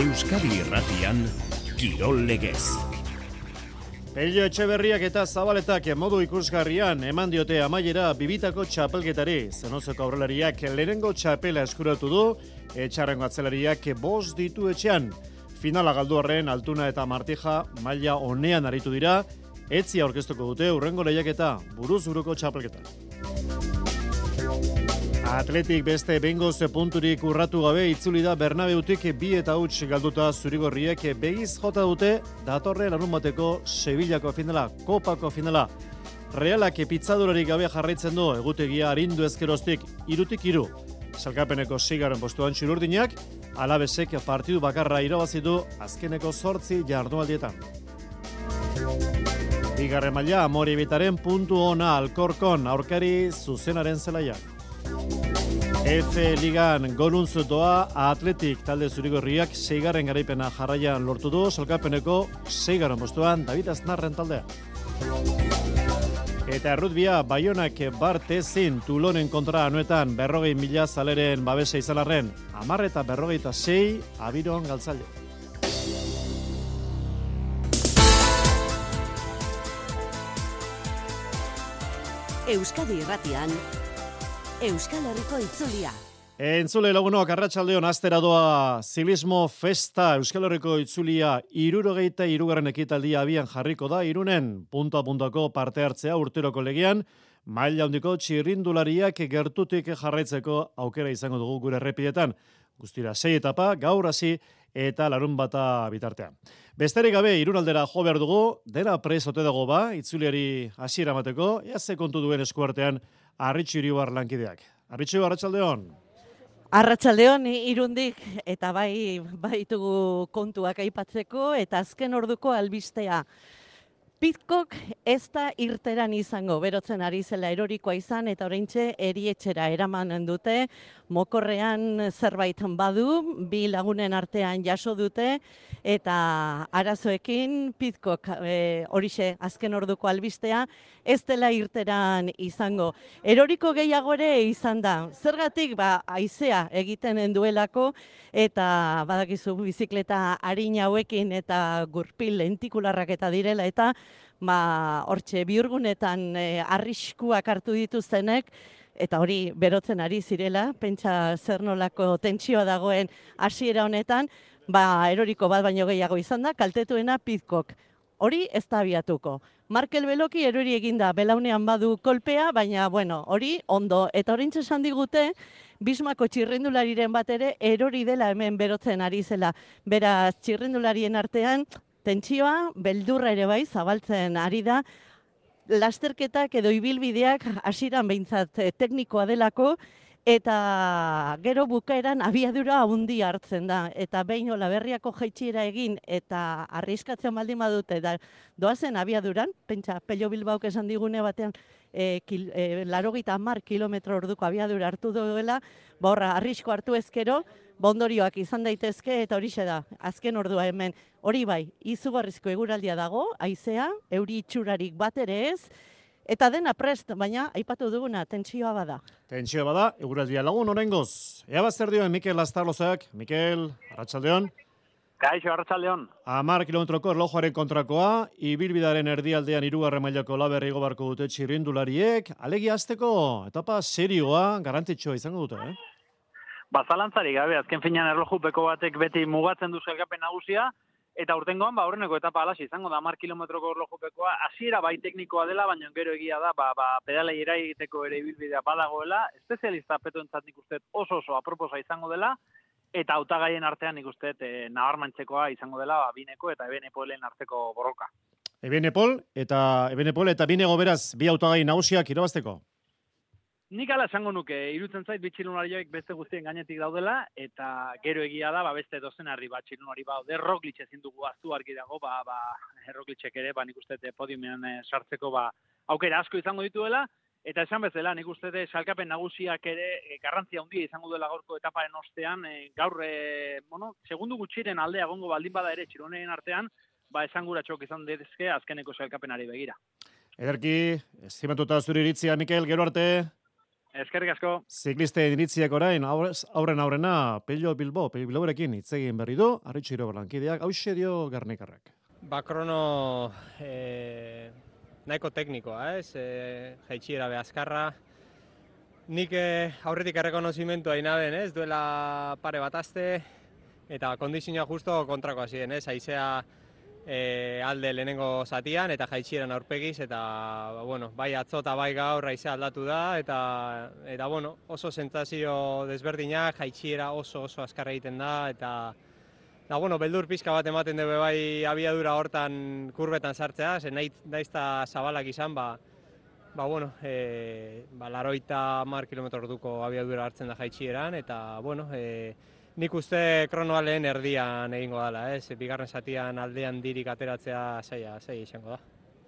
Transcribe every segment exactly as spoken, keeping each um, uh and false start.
Euskadi Irratian, Kirol Legez. Pello Etxeberriak eta Zabaletak modu ikusgarrian eman diote amaiera bibitako txapelketari. Zenozeko aurrelariak lehenengo txapela eskuratu du, etxarrengo atzelariak bost ditu etxean. Finala galdu arren Altuna eta Martija maila onean aritu dira, etzi aurkeztuko dute hurrengo lehiaketa, buruz buruko txapelketa. Atletik beste bengoz punturik urratu gabe itzuli da Bernabeutik bi eta huts galduta zurigorriek begiz jota dute datorren larunbateko Sevillako finala, Kopako finala. Realak pitzadurarik gabe jarraitzen du egutegia arindu ezkeroztik irutik iru. Salkapeneko seigarren postuan txururdinak, Alabesek partidu bakarra irabazi du azkeneko zortzi jardunaldietan. Bigarren maila Amorebitaren puntu ona Alkorkon aurkari zuzenaren zelaiak. F Ligan Goluntz doa Atletik talde zurigorriak seigarren garaipena jarraian lortu du, salkapeneko seigarren postuan David Aznarren taldea. Eta errutbia Baionak Bartezin Tulonen kontra anuetan berrogei mila zaleren babesa izan arren, hamar eta berrogeita sei Abiron galtzaile. Euskadi Irratian Euskal Herriko itzulia. Entzule lagunok, arratsaldeon astera doa Zilismo Festa Euskal Herriko itzulia hirurogeita hirugarren ekitaldia abian jarriko da Irunen. Punta puntako parte hartzea urteroko legean, maila handiko txirrindulariak gertutik jarraitzeko aukera izango dugu gure errepidetan. Guztira sei etapa, gaur hasi eta larun bata bitartean. Besterik gabe Irunaldera jo behar dugu, dena prez ote dago ba, itzuliari hasiera emateko, ea ze kontu duen eskuartean Arritxu Iribar lankideak. Arritxu, arratsaldeon. Arratsaldeon Irundik eta bai baitugu kontuak aipatzeko eta azken orduko albistea. Pidcock ez da irteran izango, berotzen ari zela erorikoa izan eta oraintxe erietxera eraman dute, mokorrean zerbait badu, bi lagunen artean jaso dute eta arazoekin Pidcock e, horixe azken orduko albistea ez dela irteran izango. Eroriko gehiago ere izan da, zergatik ba haizea egiten duelako eta badakizu bizikleta arina hauekin eta gurpil lentikularrak eta direla eta ba hortxe bihurgunetan e, arriskuak hartu dituztenek eta hori berotzen ari zirela, pentsa zer nolako tentsioa dagoen hasiera honetan, ba eroriko bat baino gehiago izan da, kaltetuena Pidcock. Hori ez da abiatuko. Markel Beloki erori eginda belaunean badu kolpea, baina bueno, hori ondo. Eta orintxe esan digute, Bismako txirrindulariren bat ere erori dela hemen berotzen ari zela. Beraz, txirrindularien artean, tentsioa, beldurra ere bai, zabaltzen ari da, lasterketak edo ibilbideak hasieran behintzat teknikoa delako, eta gero bukaeran abiadura handia hartzen da. Eta behin Olaberriako jaitsiera egin eta arriskatzen baldin badute da doazen abiaduran, pentsa Pello Bilbaok esan digune batean e, kil, e, larogeita hamar kilometro orduko abiadura hartu duela, ba horra arrisko hartu ezkero, bondorioak izan daitezke eta horixe da, azken ordua hemen. Hori bai, izugarrizko eguraldia dago, haizea, euri itxurarik bat ere ez, eta dena prest, baina aipatu duguna, tentsioa bada. Tentsioa bada, eguraldia lagun oraingoz. Ea bazter dioen Mikel Astarlozak. Mikel, arratsaldeon. Kaixo, arratsaldeon. Hamar kilometroko erlojuaren kontrakoa, ibilbidaren erdialdean hirugarren mailako Olaberri igo beharko dute txirrindulariek. Alegia hasteko etapa serioa, garrantzitsua izango dute, eh? Ba, zalantzari gabe, azken finean erlojupeko batek beti mugatzen du sailkapen nagusia, eta urtengoan ba aurreneko etapa alaxi izango da hamar kilometroko erlojupekoa, hasiera bai teknikoa dela, baina gero egia da, ba, ba pedalei eraiteko ere ibilbidea badagoela, espezialista petoentzat nik uste oso oso aproposa izango dela, eta hautagaien artean nik uste e, nabarmentzekoa izango dela ba, Bineko eta Ebenepolen arteko borroka. Ebenepol eta Ebenepol eta Binego beraz bi hautagai nagusiak irabazteko. Nik ala esango nuke, irutzen zait bitxilunariak beste guztien gainetik daudela, eta gero egia da, ba, beste dozenarri bat txilunari baude, Roglic ezin dugu aztu argi dago, ba, ba, Roglicek ere, ba, nik uste podiumean e, sartzeko ba, aukera asko izango dituela, eta esan bezala, nik uste salkapen nagusiak ere e, garrantzia handia izango dela gaurko etaparen ostean, e, gaur, e, bueno, segundu gutxiren aldea gongo baldin bada ere txilunen artean, ba, esanguratxok izan dezke azkeneko salkapenari begira. Ederki, estimatuta zure iritzia, Mikel, gero arte. Eskerrik asko. Ziklisten iritziak orain, aurrez, aurren aurrena, Pello Bilbo, Pello Bilborekin hitz egin berri du, Arritxu Irobalankideak, hauxe dio Gernikarrak. Ba, krono e, nahiko teknikoa, ez? E, Jaitsiera be azkarra. Nik e, aurretik errekonozimentua inaben, ez? Duela pare bat aste, eta kondizioa justo kontrakoa ziren, ez? Haizea e, alde lehenengo zatian, eta jaitsieran aurpegiz, eta, ba, bueno, bai atzo eta bai gaur haizea aldatu da, eta, eta bueno, oso sentsazio desberdinak, jaitsiera oso oso azkarra egiten da, eta Da, bueno, beldur pizka bat ematen dugu bai abiadura hortan kurbetan sartzea, ze nahi daizta zabalak izan, ba, ba bueno, e, ba, laroita mar kilometro orduko abiadura hartzen da jaitsieran, eta, bueno, e, nik uste kronoa lehen erdian egingo dela, ez? Bigarren zatian aldean dirik ateratzea zaila, zaila izango da.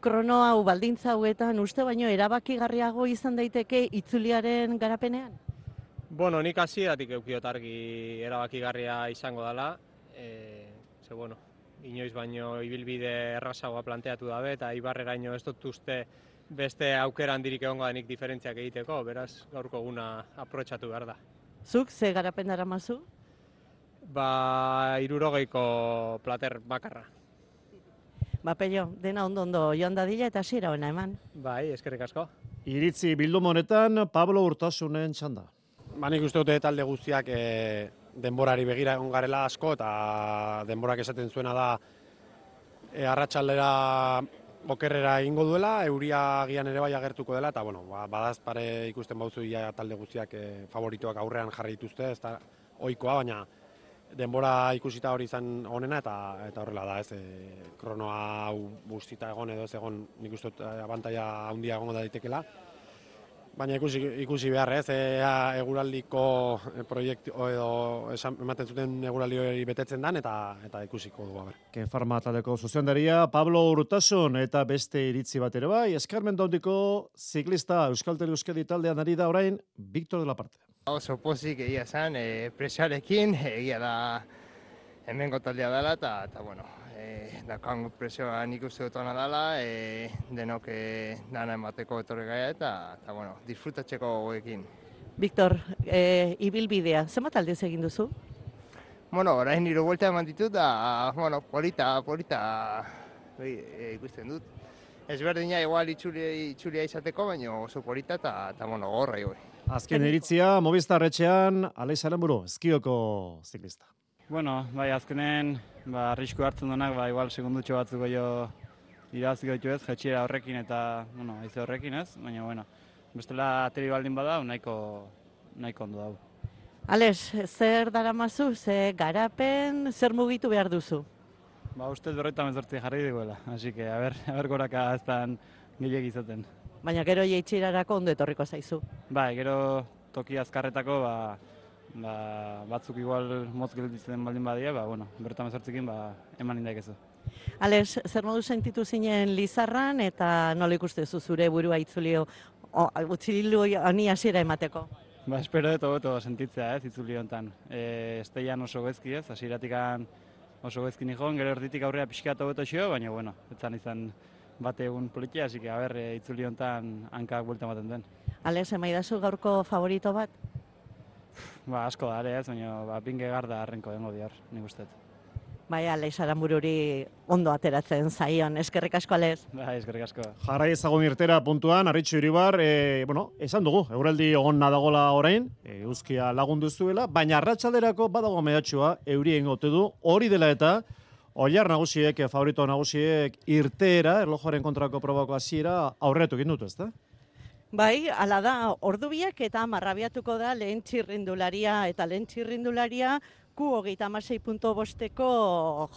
Krono hau baldintza hauetan uste baino erabakigarriago izan daiteke itzuliaren garapenean? Bueno, nik hasieratik eukiot argi erabakigarria izango dela. E, ze, bueno, inoiz baino ibilbide errazagoa planteatu dabe, eta Ibarreraino ez dut uste beste aukera handirik egongo denik diferentziak egiteko, beraz gaurko eguna aprobetxatu behar da. Zuk, ze garapen daramazu? Ba, hirurogeiko plater bakarra. Ba, Pello, dena ondo-ondo joan dadila eta hasiera ona eman. Bai, eskerrik asko. Iritzi bilduma honetan Pablo Urtasunen txanda. Ba, nik uste dute talde guztiak e, denborari begira egon garela asko, eta denborak esaten zuena da e, arratsaldera okerrera egingo duela, euria agian ere bai agertuko dela, eta bueno, ba, badaz pare ikusten bauzu ja talde guztiak e, favoritoak aurrean jarri dituzte, ez da ohikoa, baina denbora ikusita hori izan onena, eta eta horrela da, ez, e, kronoa hau guztita egon edo ez egon, nik uste dut abantaila handia egongo da daitekela. Baina ikusi, ikusi behar, ez, ea eguraldiko proiektu edo esan, ematen zuten eguraldi hori betetzen dan, eta eta ikusiko dugu, ber. Kenfarma taldeko zuzendaria Pablo Urtasun eta beste iritzi bat ere bai, eskarmentu handiko ziklista Euskaltel Euskadi taldean ari da orain, Victor de la Parte. Oso pozik egia zen, e, presioarekin, egia da hemengo taldea dela, eta, eta bueno, e, dakan presioa nik uste dut ona dela, e, denok e, dana emateko etorri gaia, eta, eta bueno, disfrutatzeko goekin. Victor, e, ibilbidea, zenbat aldiz egin duzu? Bueno, orain hiru buelta eman ditut, da, bueno, polita, polita e, e, ikusten dut. Ezberdina igual itxulia, itxulia izateko, baina oso polita, eta, eta bueno, gorra igoi. Azken iritzia, Movistar etxean, Aleix Aranburu, Eskioko ziklista. Bueno, bai, azkenen, ba, arrisku hartzen duenak, ba, igual segundutxo batzuk jo irabaziko ditu ez, jetxiera horrekin eta, bueno, haize horrekin ez, baina, bueno, bestela ateri baldin bada, nahiko, nahiko ondo dau. Aleix, zer daramazu, ze garapen, zer mugitu behar duzu? Ba, ustez berroita mezortzi jarri diguela, hasi que, a ber, a ber goraka ez dan gehiak izaten. Baina gero jeitxirarako ondo etorriko zaizu. Bai, gero toki azkarretako, ba, ba, batzuk igual motz gelditzen baldin badia, ba, bueno, berroita mezortzikin, ba, eman indaikezu. Alex, zer modu sentitu zinen Lizarran eta nola ikustezu zure burua itzulio, utzilu honi hasiera emateko? Ba, espero dut hobeto sentitzea ez, itzuli honetan. E, esteian oso gezki ez, hasieratik oso gezki nihon, gero erditik aurrea pixkat hobeto xio, baina, bueno, etzan izan bate egun politia, así que, a ber, e, itzuli honetan hankak buelta ematen den. Alex, emaidazu gaurko favorito bat? Ba, asko da, ere ez, baina, ba, pinge garda arrenko dengo dior, nik uste. Bai, Aleix Aranbururi ondo ateratzen zaion. Eskerrik asko, Aleix. Bai, eskerrik asko. Jarrai ezagun irtera puntuan, Arritxu Iribar, e, bueno, esan dugu, eguraldi ogonna dagola orain, e, euskia lagundu zuela, baina arratsalderako badago mehatxua, eurien gote du, hori dela eta, Oilar nagusiek, favorito nagusiek, irteera, erlojoaren kontrako probako hasiera aurretu egin dut, ezta? Bai, ala da, ordubiak eta marrabiatuko da lehen txirrindularia, eta lehen txirrindularia Q hogeita hamasei puntu bosteko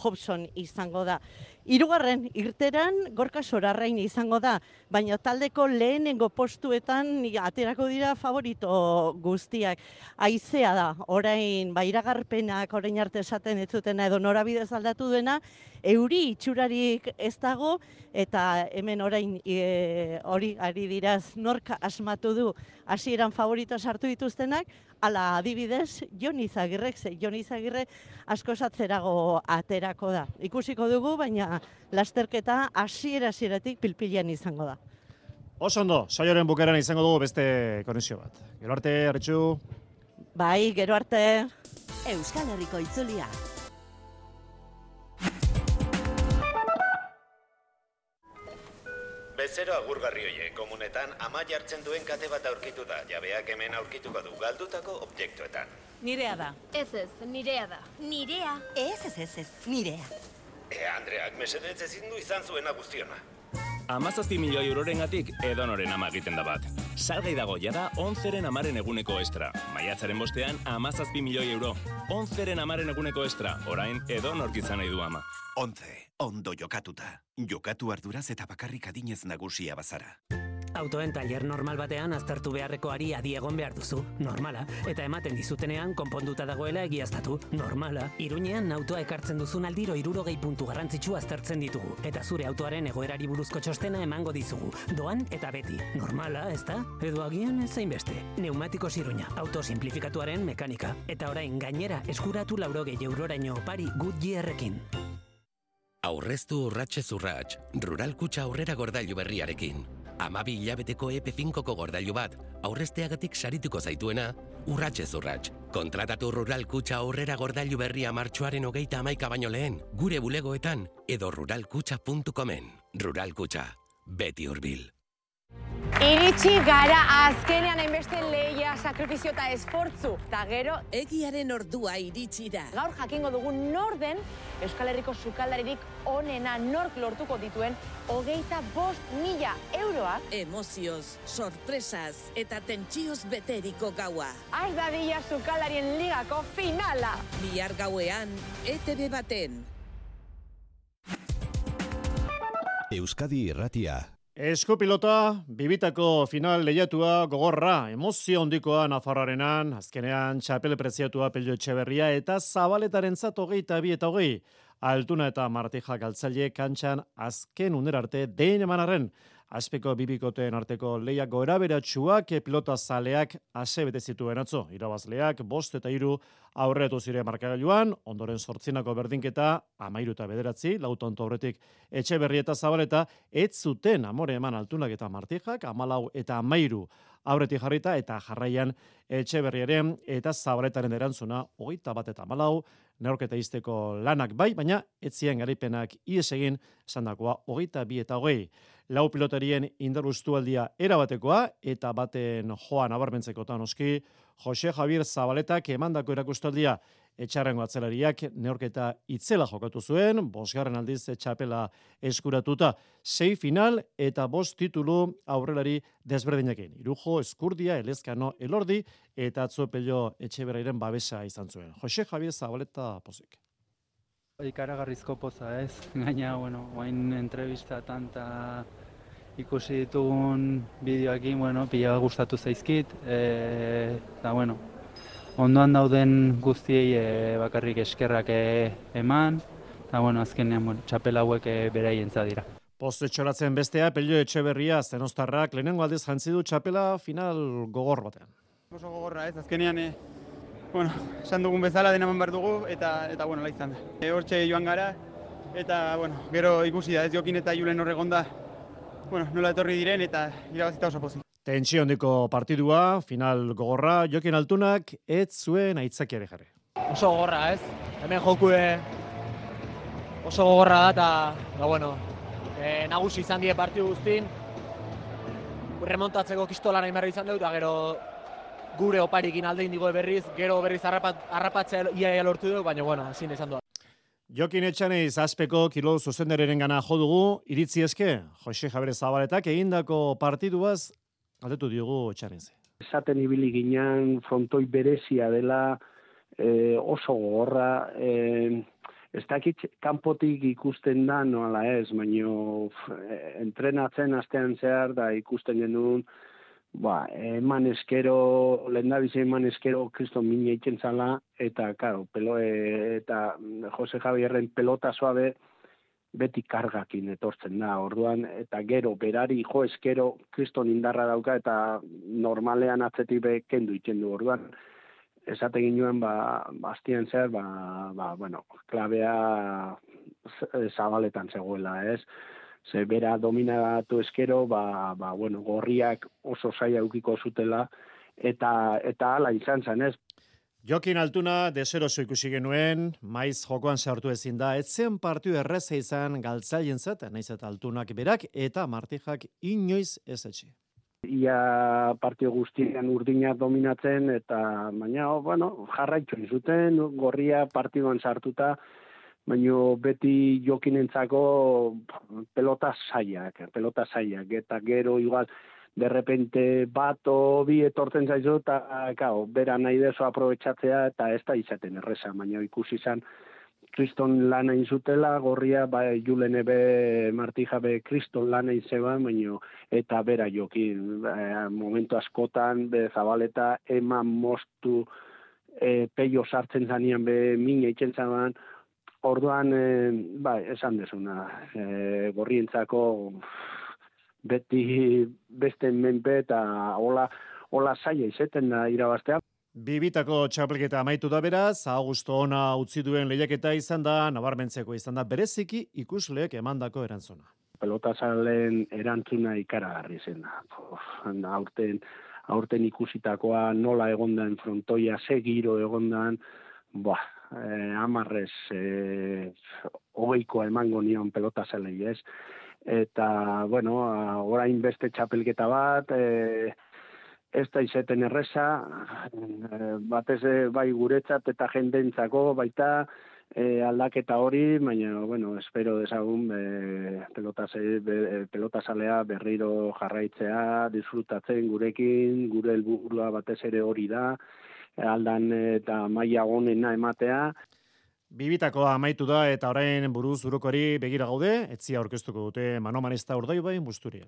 Hobson izango da. Hirugarren irteran Gorka Sorarrain izango da, baina taldeko lehenengo postuetan aterako dira favorito guztiak. Haizea da, orain ba, iragarpenak orain arte esaten ez zutena edo norabidez aldatu duena, euri itxurarik ez dago, eta hemen orain e, hori ari diraz norka asmatu du hasieran favorito sartu dituztenak, ala adibidez, Jon Izagirrek, ze Jon Izagirre asko satzerago aterako da. Ikusiko dugu, baina lasterketa hasiera hasieratik pilpilean izango da. Oso ondo, saioaren bukaeran izango dugu beste konexio bat. Gero arte, Arritxu. Bai, gero arte. Euskal Herriko itzulia. Bezero agurgarri hoie, komunetan ama jartzen duen kate bat aurkitu da, jabeak hemen aurkituko du galdutako objektuetan. Nirea da. Ez ez, nirea da. Nirea. Ez ez ez ez, nirea. E, Andreak, mesedez ezin du izan zuena guztiona. Amazazpi milioi eurorengatik edonoren ama egiten da bat. Salgai dago jada onzeren amaren eguneko estra. Maiatzaren bostean amazazpi milioi euro. Onzeren amaren eguneko estra. Orain edonork izan nahi du ama. Ontze, ondo jokatuta. Jokatu arduraz eta bakarrik adinez nagusia bazara. Autoen tailer normal batean aztertu beharrekoari adi egon behar duzu, normala, eta ematen dizutenean konponduta dagoela egiaztatu, normala. Iruñean autoa ekartzen duzun aldiro hirurogei puntu garrantzitsu aztertzen ditugu, eta zure autoaren egoerari buruzko txostena emango dizugu, doan eta beti, normala, ezta? Edo agian ezain beste. Neumatikos Iruña, auto simplifikatuaren mekanika, eta orain gainera eskuratu laurogei euroraino opari Goodyearrekin. Aurreztu urratxez urratx, Rural Kutxa aurrera gordailu berriarekin. Amabi hilabeteko E P finkoko gordailu bat, aurrezteagatik sarituko zaituena, urratxez urratx. Kontratatu Rural Kutxa aurrera gordailu berria martxoaren hogeita hamaika baino lehen, gure bulegoetan, edo ruralkutxa puntu comen. Rural Kutxa, beti hurbil. Iritsi gara azkenean hainbeste lehia, sakrifizio eta esfortzu. Ta gero, egiaren ordua iritsi da. Gaur jakingo dugu nor den Euskal Herriko sukaldaririk onena nork lortuko dituen hogeita bost mila euroa. Emozioz, sorpresaz eta tentsioz beteriko gaua. Az dadila sukaldarien ligako finala. Bihar gauean, E T B baten. Euskadi Irratia. Eskupilota, bibitako final lehiatua gogorra, emozio hondikoa Nafarroarenan, azkenean txapel preziatua Pello Etxeberria eta Zabaletarentzat hogeita bi eta hogei. Altuna eta Martija galtzaile kantxan azken unerarte dein emanarren. Azpeko bibikoteen arteko lehiak goeraberatsuak pilota zaleak ase bete zituen atzo. Irabazleak bost eta hiru aurretu zire markagailuan, ondoren zortzinako berdinketa, amairu eta bederatzi, lautonto aurretik Etxeberri eta Zabaleta, ez zuten amore eman Altunak eta Martijak, amalau eta amairu aurretik jarrita, eta jarraian Etxeberriaren eta Zabaletaren erantzuna, hogeita bat eta amalau, neorketa izteko lanak bai, baina etzien garaipenak ies egin esandakoa hogeita bi eta hogei. Lau pilotarien indaruztualdia erabatekoa eta baten joan abarmentzekotan oski, Jose Javier Zabaletak emandako erakustaldia etxarrengo atzelariak neorketa itzela jokatu zuen, bosgarren aldiz txapela eskuratuta, sei final eta bost titulu aurrelari desberdinekin. Irujo, Eskurdia, Elezkano, Elordi eta atzo Pello Etxeberriaren babesa izan zuen. Jose Javier Zabaleta pozik. Ikaragarrizko poza ez, gaina, bueno, oain entrevistatan eta ikusi ditugun bideoekin, bueno, pila gustatu zaizkit, eta, bueno, ondoan dauden guztiei e, bakarrik eskerrak e, eman, eta, bueno, azkenean, bueno, txapel hauek e, beraientza dira. Poste txoratzen bestea, Pello Etxeberria, zenostarrak, lehenengo aldiz jantzi du txapela final gogor batean. Oso gogorra ez, azkenean, e, bueno, esan dugun bezala denaman behar dugu, eta, eta bueno, laizan da. E, hortxe joan gara, eta, bueno, gero ikusi da, ez Jokin eta Julen horregonda, bueno, nola etorri diren, eta irabazita oso pozik. Tentsio handiko partidua, final gogorra, Jokin Altunak ez zuen aitzakiare jarri. Oso gogorra, ez? Hemen jokue oso gogorra da, eta, da, bueno, e, nagusi izan die partidu guztin, remontatzeko kistola nahi merri izan dut, eta gero gure oparikin alde indigo berriz, gero berriz harrapat, harrapatzea iaia lortu dut, baina, bueno, ezin izan dut. Jokin Etxaneiz azpeko kilo zuzendereren gana jo dugu, iritzi eske, Jose Javier Zabaletak egindako partiduaz, aldetu diogu Etxaneiz. Esaten ibili ginen frontoi berezia dela, e, oso gogorra, e, ez dakit kanpotik ikusten da noala ez, baino entrenatzen astean zehar da ikusten genuen, ba, eman eskero, lehendabizi eman eskero kriston mini eitzen zala, eta, karo, pelo, e, eta Jose Javierren pelota suabe beti kargakin etortzen da, orduan, eta gero, berari jo eskero kriston indarra dauka, eta normalean atzetik be kendu itzen du, orduan, esate ginoen, ba, bastien zer, ba, ba, bueno, klabea Zabaletan zegoela, ez? ze bera dominatu eskero, ba, ba, bueno, gorriak oso zaila eukiko zutela, eta eta hala izan zen, ez? Jokin Altuna deseroso ikusi genuen, maiz jokoan sartu ezin da, etzen partiu erreza izan galtzaientzat, naiz eta Altunak berak, eta Martijak inoiz ez etxe. Ia partio guztian urdina dominatzen, eta baina, bueno, jarraitu zuten, gorria partioan sartuta, baina beti Jokinentzako pelota zaiak, pelota zaiak, eta gero igual, de repente bat o bi etortzen zaizu, eta kao, bera nahi dezo aprobetxatzea, eta ez da izaten erreza, baina ikusi izan, kriston lana izutela, gorria, ba, Julene be, Martija be, kriston lana izeba, baina, eta bera Jokin, e, momentu askotan, be, Zabaleta, eman mostu, e, peio sartzen zanean, be, min eitzen zaban, orduan, e, ba, esan desuna, e, gorrientzako, beti beste menpe eta hola, hola zaila izeten da irabaztea. Bibitako txapelketa amaitu da beraz, Augusto ona utzi duen lehiaketa izan da, nabarmentzeko izan da, bereziki ikusleek emandako erantzuna. Pelotazalen erantzuna ikaragarri zen. Aurten, aurten ikusitakoa nola egondan frontoia, ze giro egondan, ba, eh, amarrez eh, hogeikoa emango nion pelotazalei, ez? Eta, bueno, orain beste txapelketa bat, e, ez da izeten erreza, e, batez bai guretzat eta jendentzako baita e, aldaketa hori, baina, bueno, espero dezagun e, pelotase, be, pelotazalea berriro jarraitzea, disfrutatzen gurekin, gure helburua batez ere hori da, aldan eta maila onena ematea. Bibitakoa amaitu da eta orain buruz burukori begira gaude, etzia aurkeztuko dute Manomanista Urdaibai Busturian.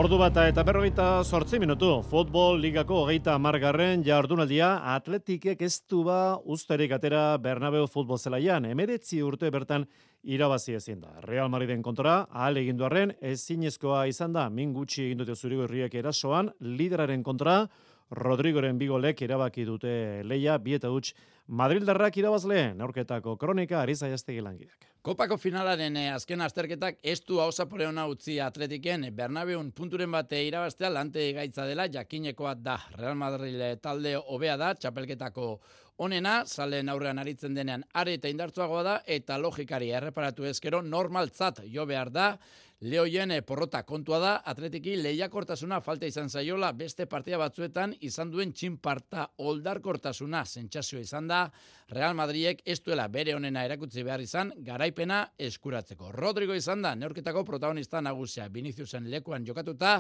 Ordu bata eta berrogeita zortzi minutu, futbol ligako hogeita hamargarren jardunaldia Atletikek ez du ba usterik atera Bernabeu futbol zelaian, emeretzi urte bertan irabazi ezin da. Real Madriden kontra, ahal egindu arren, ezinezkoa izan da, min gutxi egin dute zurigorriek erasoan, lideraren kontra, Rodrigoren bigolek erabaki dute leia, bi eta huts Madrildarrak irabazle, neurketako kronika Ariza Jastegi langidak. Kopako finalaren eh, azken azterketak ez du hausapore hona utzi Atletiken Bernabeun punturen bate irabaztea lante gaitza dela jakinekoa da. Real Madrid talde hobea da, txapelketako onena, zalen aurrean aritzen denean are eta indartzuagoa da, eta logikari erreparatu ezkero normaltzat jo behar da. Lehoien porrota kontua da, Atletiki lehiakortasuna falta izan zaiola beste partida batzuetan izan duen txinparta oldarkortasuna sentsazioa izan da, Real Madridek ez duela bere onena erakutsi behar izan, garaipena eskuratzeko. Rodrigo izan da, neurketako protagonista nagusia, Viniciusen lekuan jokatuta,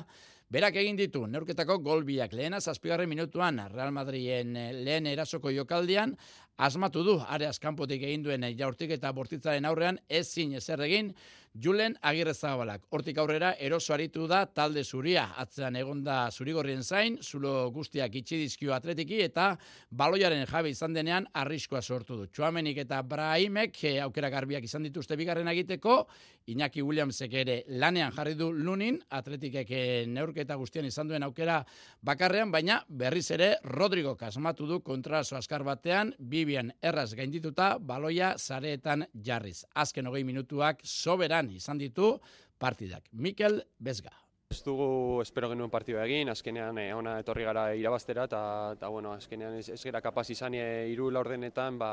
berak egin ditu, neurketako golbiak lehena zazpigarren minutuan, Real Madriden lehen erasoko jokaldian, asmatu du, areaz kanpotik egin duen jaurtik eta bortitzaren aurrean ezin ezer egin, Julen Agirrezabalak. Hortik aurrera eroso aritu da talde zuria. Atzean egonda zurigorrien zain, zulo guztiak itxi dizkio Atletiki eta baloiaren jabe izan denean arriskoa sortu du. Txuamenik eta Brahimek eh, aukera garbiak izan dituzte bigarren egiteko, Iñaki Williamsek ere lanean jarri du Lunin, Atletikek neurketa guztian izan duen aukera bakarrean, baina berriz ere Rodrigo kasmatu du kontraso askar batean, Bibian erraz gaindituta, baloia zareetan jarriz. Azken hogei minutuak soberan izan ditu partidak. Mikel Bezga. Ez dugu espero genuen partidua egin, azkenean eh, ona etorri gara irabaztera, eta bueno, azkenean ez, ez gara kapaz izan e, iru laurdenetan, ba,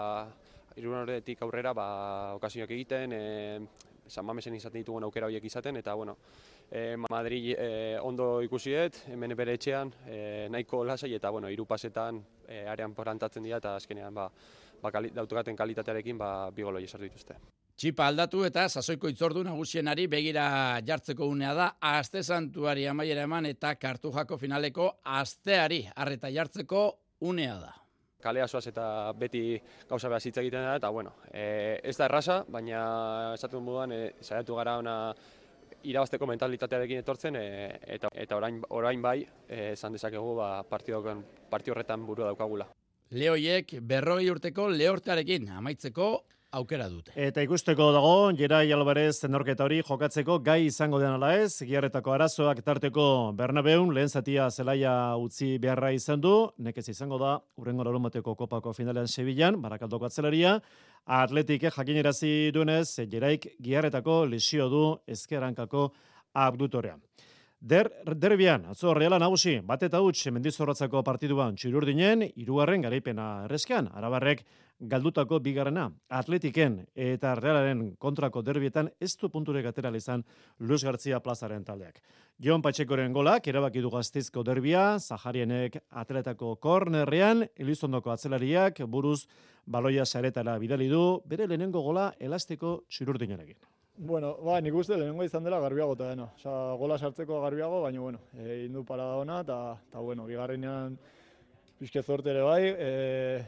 iru laurdenetik aurrera ba, okazioak egiten, e, San Mamesen izaten ditugun aukera horiek izaten, eta bueno, e, Madrid e, ondo ikusiet, hemen bere etxean, e, nahiko lasai, eta bueno, hiru pasetan e, arean porantatzen dira, eta azkenean ba, ba, kali, dautokaten kalitatearekin ba, bi goloi esartu dituzte. Txipa aldatu eta sasoiko itzordu nagusienari begira jartzeko unea da, aste santuari amaiera eman eta Kartujako finaleko asteari arreta jartzeko unea da. Kalea zoaz eta beti gauza behar hitz egiten da, eta bueno, e, ez da erraza, baina esatuen moduan e, saiatu gara ona irabazteko mentalitatearekin etortzen, e, eta, eta orain, orain bai, e, esan dezakegu ba, partio horretan burua daukagula. Lehoiek berrogei urteko lehortearekin amaitzeko aukera dute. Eta ikusteko dago, Gerai Alvarez neorketa hori jokatzeko gai izango den ala ez, Giarretako arazoak tarteko Bernabeun, lehen zatia zelaia utzi beharra izan du, nekez izango da, urrengo larunbateko kopako finalean Sevillan, Barakaldoko atzelaria, Atletike jakinerazi duenez, Geraik Giarretako lesio du ezkerrankako abdutorea. Der, derbian, atzo Reala nagusi, bat eta huts Mendizorrotzako partiduan Txirurdinen, hirugarren garaipena erreskean, Arabarrek galdutako bigarrena, Atletiken eta Realaren kontrako derbietan ez du punturek atera izan Luis García plazaren taldeak. Jon Patxekoren golak, erabaki du Gasteizko derbia, Zaharienek atletako kornerrean, Elizondoko atzelariak buruz baloia saretara bidali du, bere lehenengo gola elastiko Txirurdinarekin. Bueno, ba, nik uste lehenengo izan dela garbiago eta dena. Osa, gola sartzeko garbiago, baina, bueno, e, indu parada ona, eta, bueno, bigarrenean pixke zorte ere bai, e,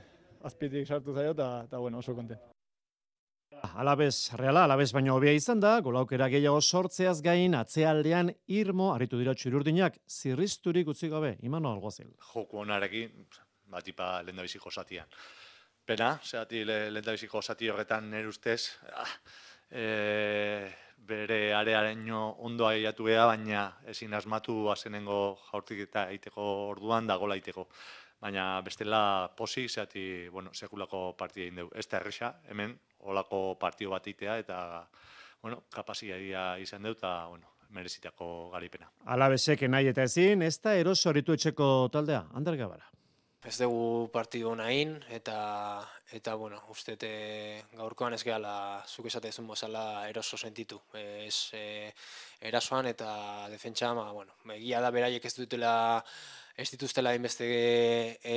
azpitik sartu zaio, eta, bueno, oso konten. Alabez, Reala, alabez baino hobea izan da, golaukera gehiago sortzeaz gain, atzealdean irmo, aritu dira Txirurdinak, zirrizturik utzi gabe, Imano Alguazil. Joku onarekin, batipa lehendabiziko zatian. Pena, zehati lehendabiziko zati horretan nire ustez, ah, E, bere areareño ondo aiatu geha, baina ezin asmatu azenengo jaurtik eta eiteko orduan da gola eiteko. Baina bestela posi, zehati, bueno, sekulako partida egin dugu. Ez da erresa, hemen, olako partio bat itea, eta, bueno, kapazitatea izan dugu, eta, bueno, merezitako garipena. Alabezek nahi eta ezin, ez da eroso haritu etxeko taldea, Ander Gabara. Ez dugu partidu nahin, eta, eta bueno, uste gaurkoan ez gehala, zuk esatezun bozala eroso sentitu. Ez e, erasoan eta defentsa, ma, bueno, egia da beraiek ez dutela, ez dituztela inbeste e,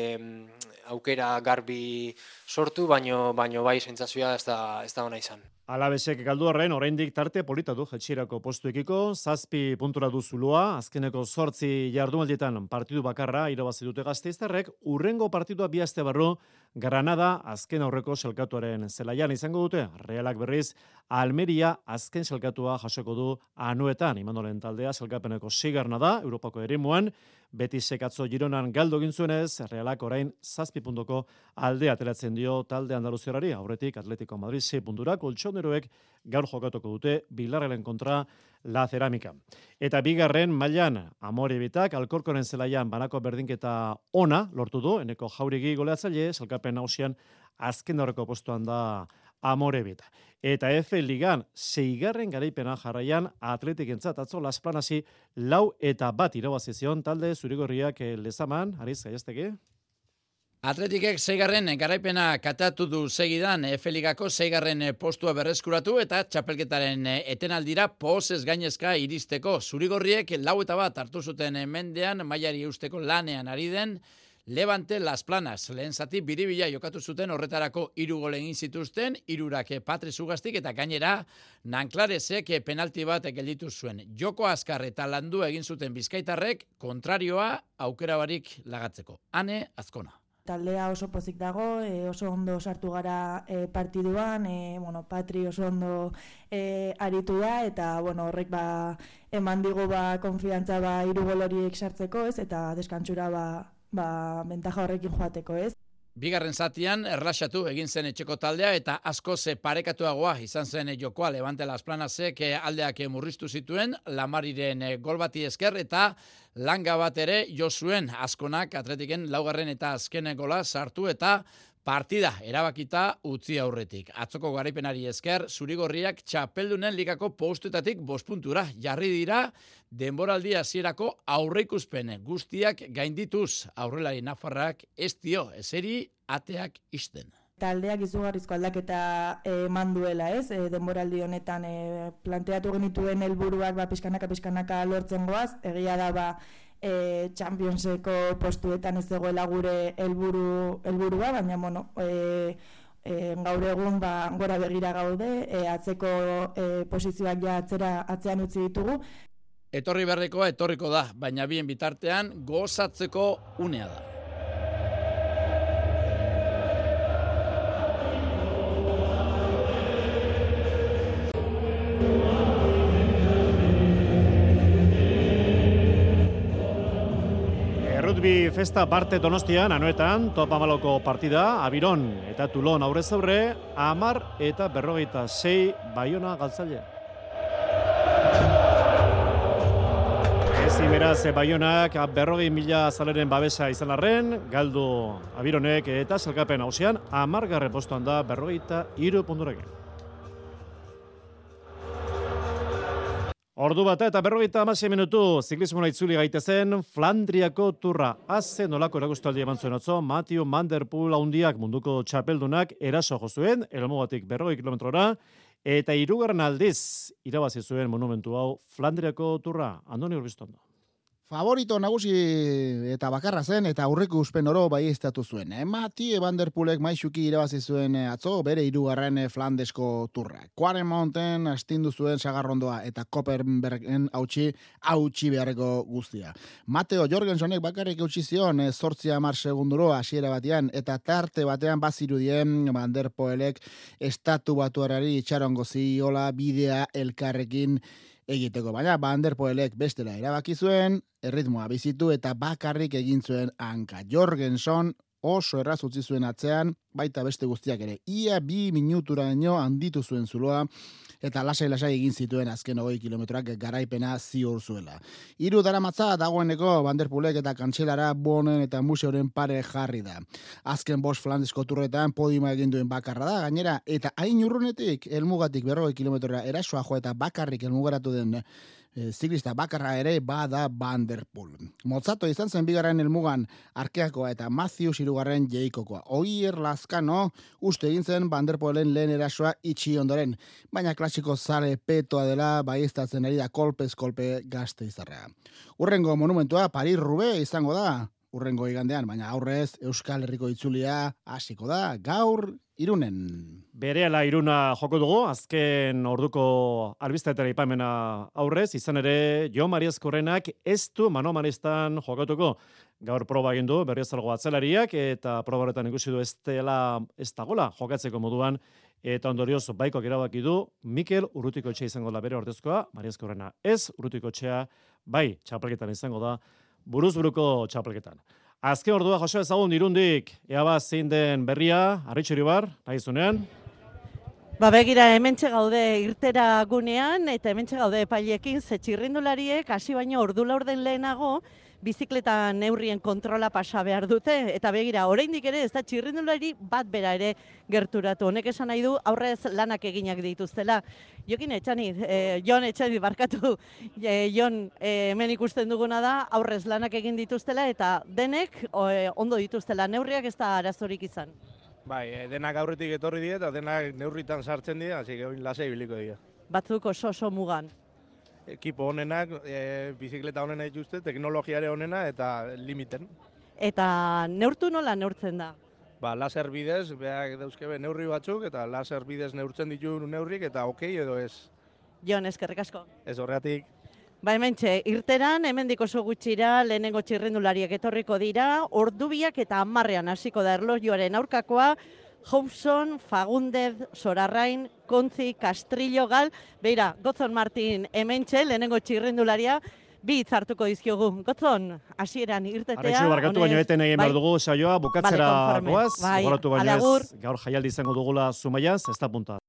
aukera garbi sortu, baino, baino bai sentsazioa ez da, ez da ona izan. Alabezek galdu horren, oraindik tarte polita du jetxirako postuekiko, zazpi puntura du Zulua, azkeneko zortzi jardunaldietan partidu bakarra irabazi dute Gasteiztarrek, urrengo partidua bi aste barru Granada azken aurreko selkatuaren zelaian izango dute, Realak berriz Almeria azken selkatua jasoko du Anoetan, Imanolen taldea selkapeneko sigarna da, Europako eremuan, Betisek atzo Gironan galdu egin zuenez, Realak orain zazpi puntuko aldea ateratzen dio talde andaluziarari, aurretik Atletico Madrid sei puntura, koltsoneroek gaur jokatuko dute Bilarrelen kontra La Cerámica. Eta bigarren mailan Amorebitak Alkorkoren zelaian banako berdinketa ona lortu du, eneko Jauregi goleatzaile, salkapen nagusian azken aurreko postuan da Amorebita. Eta F Ligan seigarren garaipena jarraian Atletikentzat atzo Las Planasi lau eta bat irabazi zion talde zurigorriak Lezaman, Ariz Gaiastegi. Atletikek seigarren garaipena katatu du segidan F Ligako seigarren postua berreskuratu eta txapelketaren etenaldira pozez gainezka iristeko. Zurigorriek lau eta bat hartu zuten mendean mailari eusteko lanean ari den Levante Las Planas. Lehen zati biribila jokatu zuten horretarako hiru gol egin zituzten, hirurak Patri Zugaztik eta gainera Nanclaresek penalti bat gelditu zuen. Joko azkar eta landu egin zuten bizkaitarrek kontrarioa aukera barik lagatzeko. Ane Azkona. Taldea oso pozik dago, e, oso ondo sartu gara e, partiduan, e, bueno, Patri oso ondo e, aritu da, eta bueno, horrek ba, eman digu ba, konfiantza ba, hiru gol horiek sartzeko, ez, eta deskantsura ba, ba, bentaja horrekin joateko, ez. Bigarren zatian erlaxatu egin zen etxeko taldea eta asko ze parekatuagoa izan zen jokoa Levante Las Planasek aldeak murriztu zituen Lamariren gol bati esker eta langa bat ere jo zuen Azkonak Atletiken laugarren eta azken gola sartu eta partida erabakita utzi aurretik. Atzoko garaipenari esker Zurigorriak txapeldunen ligako postuetatik bost puntura jarri dira denboraldi hasierako aurreikuspen guztiak gaindituz aurrelari nafarrak ez dio eseri ateak ixten. Taldeak izugarrizko aldaketa eman duela, ez? E, denboraldi honetan e, planteatu genituen helburuak ba pizkanaka pizkanaka lortzen goaz, egia da ba E, Championseko postuetan ez dagoela gure helburu helburua, baina bueno, e, e, gaur egun ba, gora begira gaude, e, atzeko e, posizioak ja atzera atzean utzi ditugu. Etorri berrikoa etorriko da, baina bien bitartean gozatzeko unea da. Rugby festa parte Donostian, Anoetan, top hamalauko partida, Abiron eta Tulon aurrez aurre, hamar eta berrogeita sei Baiona galtzailea. Ezin beraz, Baionak berrogei mila zaleren babesa izan arren, galdu Abironek eta zelkapen hausian, hamargarren postuan da berrogeita hiru punturekin. Ordu bata eta berrogeita hamasei minutu ziklismoa itzuli gaitezen Flandriako turra. Aze nolako erakustaldi eman zuen atzo, Mathieu van der Poel handiak munduko txapeldunak eraso jo zuen, elmugatik berrogei kilometrora, eta hirugarren aldiz irabazi zuen monumentu hau Flandriako turra. Andoni Urbiztondo. Favorito nagusi eta bakarra zen eta aurreko uspen oro baieztatu zuen. Mathieu van der Poelek maisuki irabazi zuen atzo bere hirugarren Flandesko turra. Quarren Mountain astindu zuen sagarrondoa eta Koppenbergen hautsi hautsi beharreko guztia. Mateo Jorgensonek bakarrik eutsi zion zortzi hamar segunduro hasiera batean eta tarte batean bazirudien van der Poelek estatu batuarari itxarongo ziola bidea elkarrekin egiteko, baina Van der Poelek bestela erabaki zuen, erritmoa bizitu eta bakarrik egin zuen hanka. Jorgenson oso erraz utzi zuen atzean, baita beste guztiak ere. Ia bi minuturaino handitu zuen zuloa, eta lasai-lasai egin zituen azken hogei kilometroak garaipena ziur zuela. Hiru daramatza dagoeneko Van der Poelek eta kantxelara Bonen eta Museoren pare jarri da. Azken bost Flandesko turretan podiuma egin duen bakarra da, gainera, eta hain urrunetik elmugatik berrogei kilometrora erasoa jo eta bakarrik elmugaratu den E, ziklista bakarra ere bada Van der Poel. Motzato izan zen bigarren helmugan Arkeakoa eta Matthews hirugarren Jeikokoa. Oier Lazkano uste egin zen Van der Poelen lehen erasoa itxi ondoren, baina klasiko zale petoa dela baieztatzen ari da kolpez kolpe gazte izarra. Urrengo monumentua Paris-Roubaix izango da, urrengo igandean, baina aurrez Euskal Herriko itzulia hasiko da gaur Irunen. Berehala Iruna joko dugu, azken orduko albistetara ipamena aurrez, izan ere Jo Mariazkorrenak ez du Manomaristan jokatuko. Gaur proba egin du Berriozargo atzelariak eta proba horretan ikusi du ez dela ez dagola jokatzeko moduan eta ondorioz baikoak erabaki du Mikel Urrutikoetxea izango da bere ordezkoa, Mariazkorrena ez, Urrutikoetxea bai txapelketan izango da, buruz buruko txapelketan. Azken ordua Jose ezagun Irundik, ea ba zein den berria, Arritxuri bar, nahi zunean. Ba begira, hementxe gaude irtera gunean, eta hementxe gaude epailekin, ze txirrindulariek hasi baino ordu laurden lehenago, bizikleta neurrien kontrola pasa behar dute, eta begira, oraindik ere ez da txirrindulari bat bera ere gerturatu. Honek esan nahi du, aurrez lanak eginak dituztela. Jokin etxanit, eh, Jon etxanit barkatu, eh, Jon eh, hemen ikusten duguna da, aurrez lanak egin dituztela, eta denek eh, ondo dituztela, neurriak ez da arazorik izan. Bai, denak aurretik etorri die eta denak neurritan sartzen dira, hasi que oin lasai biliko dira. Batzuk oso oso mugan. Ekipo honenak, e, bizikleta honena dituzte, teknologiare honena eta limiten. Eta neurtu nola neurtzen da? Ba, laser bidez, beak dauzkebe neurri batzuk, eta laser bidez neurtzen ditu neurrik, eta okei edo ez. Jon, eskerrik asko. Ez horregatik. Ba, hementxe, irteran, hemendik oso gutxira, lehenengo txirrendulariak etorriko dira, ordubiak eta hamarrean hasiko da erlojuaren aurkakoa, Hobson, Fagundez, Sorarrain, Kontzi, Castrillo, Gal, beira, Gotzon Martin hementxe, lehenengo txirrendularia, bi hitz hartuko dizkiogu. Gotzon, hasieran irtetea. Arretxu, barkatu baino eten egin behar dugu saioa, bukatzera goaz, gogoratu baino ez, gaur jaialdi izango dugula Zumaiaz, ez da punta.